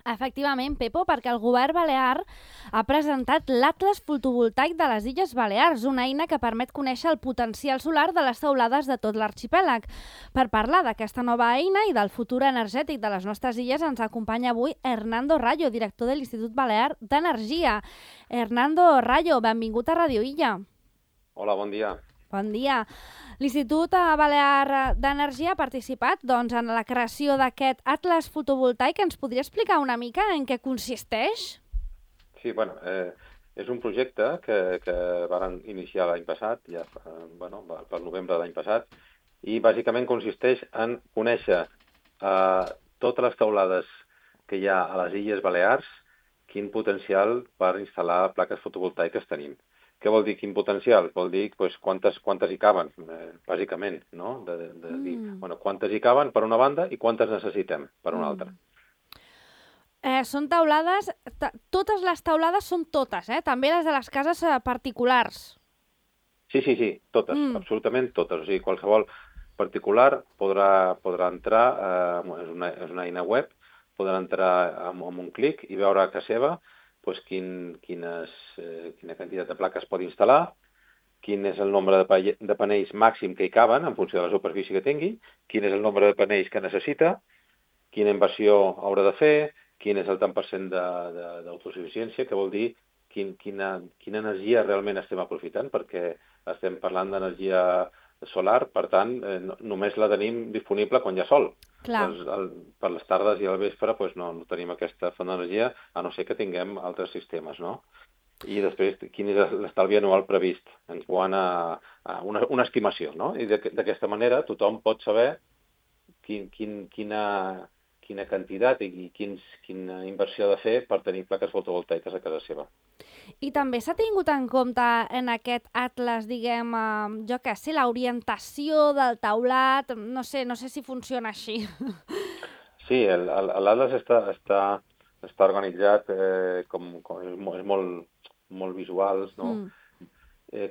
Efectivament, Pepo, perquè el govern balear ha presentat l'Atles fotovoltaic de les Illes Balears, una eina que permet conèixer el potencial solar de les teulades de tot l'arxipèlag. Per parlar d'aquesta nova eina i del futur energètic de les nostres illes ens acompanya avui Hernando Rayo, director de l'Institut Balear d'Energia. Hernando Rayo, benvingut a Radio Illa. Hola, bon dia. Bon dia. L'Institut Balear d'Energia ha participat en la creació d'aquest atles fotovoltaic. Ens podria explicar una mica en què consisteix? Sí, és un projecte que van iniciar l'any passat, per novembre de l'any passat, i bàsicament consisteix en conèixer totes les teulades que hi ha a les Illes Balears, quin potencial per instal·lar plaques fotovoltaiques tenim. Què vol dir quin potencial? Vol dir quantes hi caben, bàsicament, no? Dir, quantes hi caben per una banda i quantes necessitem per una altra. Són teulades, totes les teulades són totes, també les de les cases particulars. Sí, totes, absolutament totes. O sigui, qualsevol particular podrà entrar, és una eina web, podrà entrar amb un clic i veure a casa seva quina quantitat de plaques pot instal·lar, quin és el nombre de panells màxim que hi caben en funció de la superfície que tingui, quin és el nombre de panells que necessita, quina inversió haurà de fer, quin és el tant % d'autosuficiència, que vol dir quina energia realment estem aprofitant, perquè estem parlant d'energia solar, per tant, només la tenim disponible quan hi ha sol. Per les tardes i al vespre no tenim aquesta font d'energia, a no ser que tinguem altres sistemes, no? I després, quin és l'estalvi anual previst en quant a una estimació, no? I d'aquesta manera tothom pot saber quina quantitat i quina inversió ha de fer per tenir plaques fotovoltaiques a casa seva. I també s'ha tingut en compte en aquest atles, l'orientació del teulat, no sé si funciona així. Sí, l'atles està organitzat és molt visuals, no?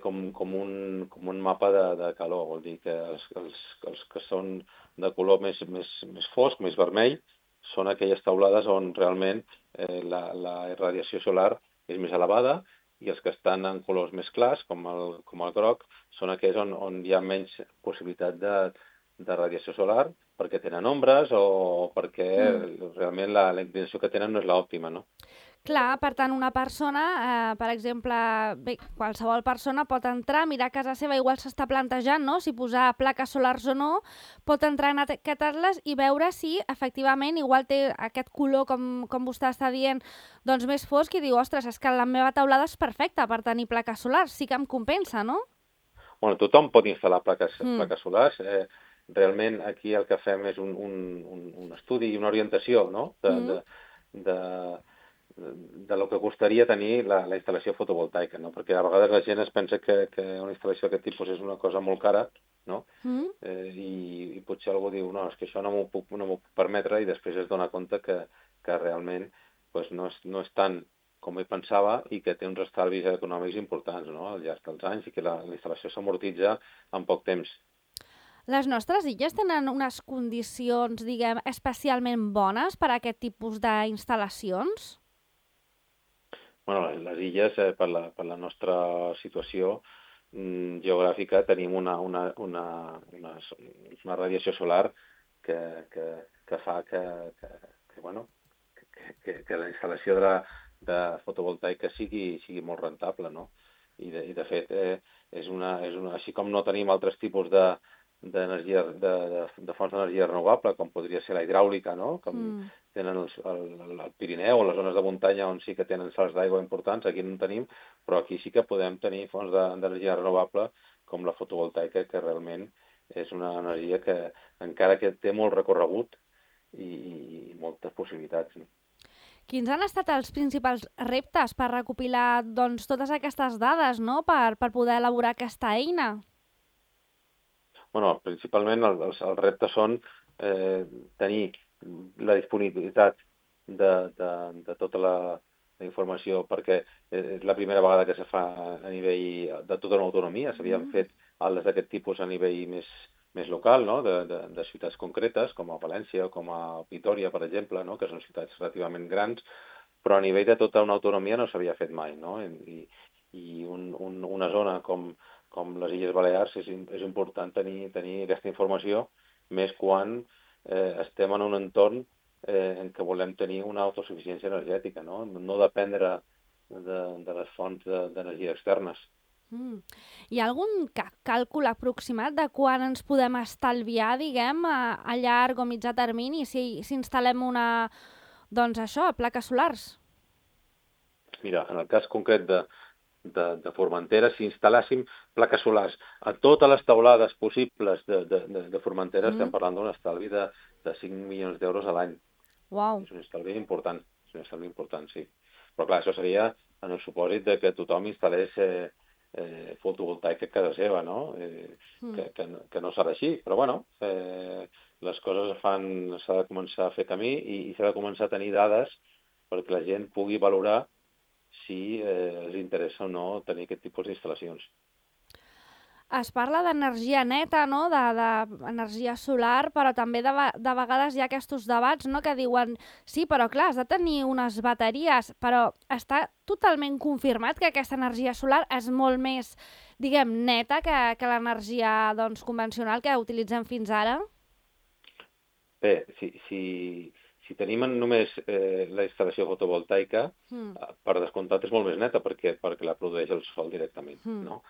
Com un mapa de calor, vol dir que els que són de color més fosc, més vermell, són aquelles teulades on realment la radiació solar és més elevada, i els que estan en colors més clars, com el groc, són aquells on hi ha menys possibilitat de radiació solar, perquè tenen ombres o perquè realment la inclinació que tenen no és l'òptima, no? Clar, per tant, una persona, per exemple, qualsevol persona pot entrar, mirar a casa seva, igual s'està plantejant, no?, si posar plaques solars o no, pot entrar en aquest atles i veure si, efectivament, igual té aquest color, com vostè està dient, doncs més fosc, i diu, ostres, és que la meva teulada és perfecta per tenir plaques solars, sí que em compensa, no? Bueno, tothom pot instal·lar plaques solars. Realment, aquí el que fem és un estudi i una orientació, no?, de lo que costaria tenir la instal·lació fotovoltaica, no? Perquè a vegades la gent es pensa que una instal·lació d'aquest tipus és una cosa molt cara, no? I potser algú diu, no, és que això no m'ho puc permetre, i després es dona compte que realment no és tant com ell pensava i que té uns estalvis econòmics importants, no?, al llarg dels anys, i que la instal·lació s'amortitza en poc temps. Les nostres illes tenen unes condicions, especialment bones per a aquest tipus d'instal·lacions? Bueno, les illes, per la nostra situació geogràfica, tenim una radiació solar que fa que la instal·lació de fotovoltaica sigui molt rentable, no? I de fet, així com no tenim altres tipus de fonts d'energia renovable, com podria ser la hidràulica, no?, com tenen el Pirineu o les zones de muntanya on sí que tenen salts d'aigua importants, aquí no en tenim, però aquí sí que podem tenir fonts d'energia renovable com la fotovoltaica, que realment és una energia que encara que té molt recorregut i moltes possibilitats. Quins han estat els principals reptes per recopilar totes aquestes dades, no?, per poder elaborar aquesta eina? Bueno, principalment els reptes són tenir la disponibilitat de tota la informació, perquè és la primera vegada que se fa a nivell de tota una autonomia. S'havien fet atles d'aquest tipus a nivell més local, no? de ciutats concretes, com a València o com a Vitòria, per exemple, no? Que són ciutats relativament grans, però a nivell de tota una autonomia no s'havia fet mai, no? I una zona com les Illes Balears és important tenir aquesta informació, més quan estem en un entorn en què volem tenir una autosuficiència energètica, no? No dependre de les fonts d'energia externes. Hi ha algun càlcul aproximat de quan ens podem estalviar, diguem, a llarg o mitjà termini si instal·lem plaques solars? Mira, en el cas concret de Formentera, si instal·làssim plaques solars a totes les teulades possibles de Formentera, estem parlant d'un estalvi de 5 milions d'euros a l'any. Wow. És un estalvi important, sí. Però clar, això seria en el supòsit de que tothom instal·lés fotovoltaica a casa seva, no? Que no serà així, però bueno, les coses s'ha de començar a fer camí i s'ha de començar a tenir dades perquè la gent pugui valorar si els interessa o no tenir aquest tipus d'instal·lacions. Es parla d'energia neta, no? d'energia solar, però també de vegades hi ha aquests debats, no? Que diuen, sí, però clar, has de tenir unes bateries, però està totalment confirmat que aquesta energia solar és molt més, diguem, neta que l'energia convencional que utilitzem fins ara? Bé, si tenim només la instal·lació fotovoltaica, per descomptat és molt més neta perquè la produeix el sol directament, no?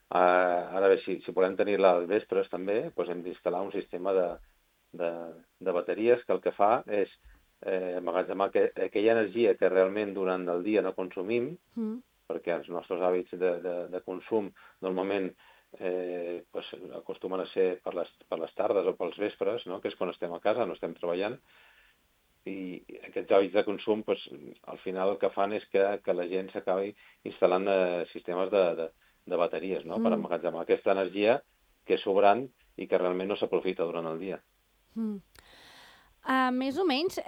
Ara bé, si volem tenir-la als vespres també, doncs hem d'instal·lar un sistema de bateries que el que fa és emmagatzemar aquella energia que realment durant el dia no consumim, perquè els nostres hàbits de consum normalment acostumen a ser per les tardes o pels vespres, no? Que és quan estem a casa, no estem treballant, i aquests hàbits de consum al final el que fan és que la gent s'acabi instal·lant sistemes de bateries, no? Per emmagatzemar aquesta energia que és sobrant i que realment no s'aprofita durant el dia. Més o menys,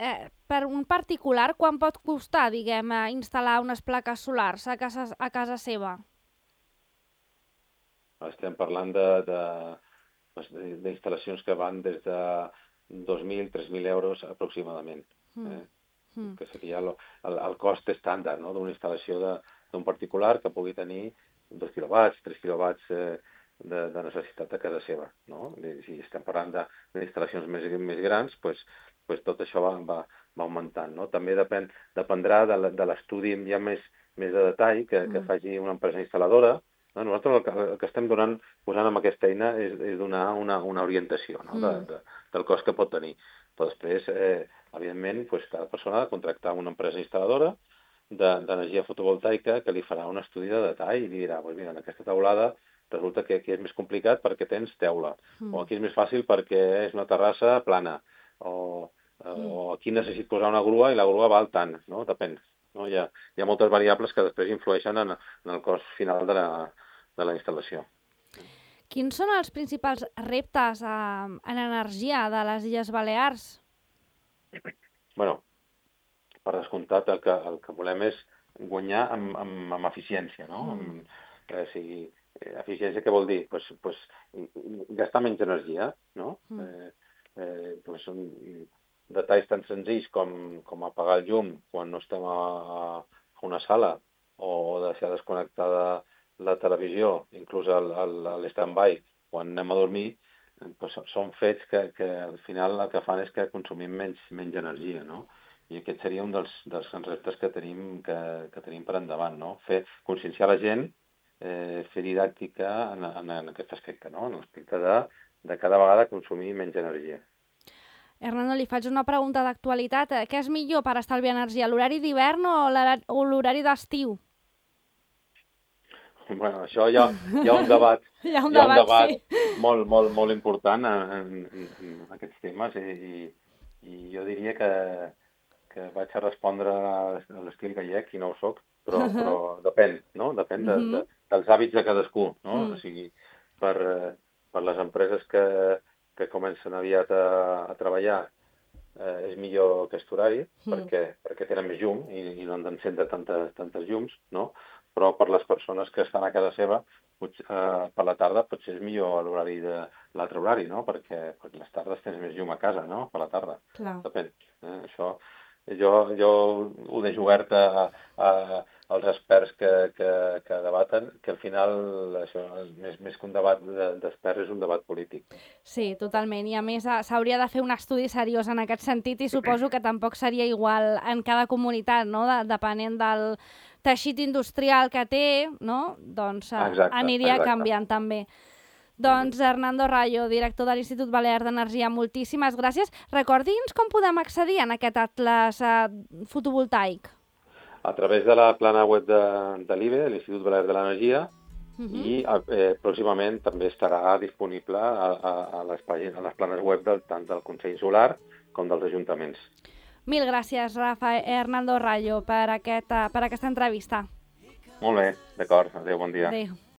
per un particular, quan pot costar, diguem, instal·lar unes plaques solars a casa seva? Estem parlant d'instal·lacions que van des de 2.000, 3.000 euros aproximadament, que seria el cost estàndard, no? D'una instal·lació d'un particular que pugui tenir 2 quilowatts, 3 quilowatts de necessitat a casa seva, no? Si estem parlant d'instal·lacions més grans, doncs tot això va augmentant, no? També dependrà de l'estudi ja més de detall que faci una empresa instal·ladora. Nosaltres el que estem posant amb aquesta eina és donar una orientació, no? Del cost que pot tenir. Però després, evidentment, cada persona ha de contractar una empresa instal·ladora d'energia fotovoltaica que li farà un estudi de detall i li dirà, mira, en aquesta teulada resulta que aquí és més complicat perquè tens teula, o aquí és més fàcil perquè és una terrassa plana, o aquí necessito posar una grua i la grua val tant, no? Depèn. No? Hi ha moltes variables que després influeixen en el cost final de la instal·lació. Quins són els principals reptes en energia de les Illes Balears? Bueno, per descomptat, el que volem és guanyar amb eficiència, no? O sigui, eficiència què vol dir? Pues gastar menys energia, no? Són detalls tan senzills com apagar el llum quan no estem a una sala o deixar desconnectada la televisió, inclús l'stand-by quan anem a dormir, pues són fets que al final el que fan és que consumim menys energia, no? I aquest seria un dels reptes que tenim per endavant, no? Conscienciar la gent, fer didàctica en aquest aspecte, no? En l'aspecte de cada vegada consumir menys energia. Hernando, li faig una pregunta d'actualitat. Què és millor per estalviar energia, l'horari d'hivern o l'horari d'estiu? Bueno, això hi ha un debat, hi ha un debat sí. molt, molt, molt important en aquests temes i jo diria que vaig a respondre a l'estil gallec i no ho soc, però depèn, no? Depèn dels hàbits de cadascú, no? O sigui, per les empreses que comencen aviat a treballar és millor aquest horari perquè tenen més llum i no han d'encendre tantes llums, no? Però per les persones que estan a casa seva, per la tarda potser és millor l'horari l'altre horari, no? Perquè les tardes tens més llum a casa, no? Per la tarda. Clar. Depèn. Això jo ho deixo obert als experts que debaten, que al final això, més que un debat d'experts, és un debat polític. Sí, totalment. I a més s'hauria de fer un estudi seriós en aquest sentit i suposo que tampoc seria igual en cada comunitat, no? Depenent del teixit industrial que té, no? Doncs aniria canviant també. Doncs Hernando Rayo, director de l'Institut Balear d'Energia, moltíssimes gràcies. Recordi'ns com podem accedir a aquest atles fotovoltaic. A través de la plana web de l'IBE, de l'Institut Balear de l'Energia, i pròximament també estarà disponible a les planes web tant del Consell Solar com dels ajuntaments. Mil gràcies, Hernando Rayo, per aquesta entrevista. Molt bé, d'acord. Adéu, bon dia. Adéu.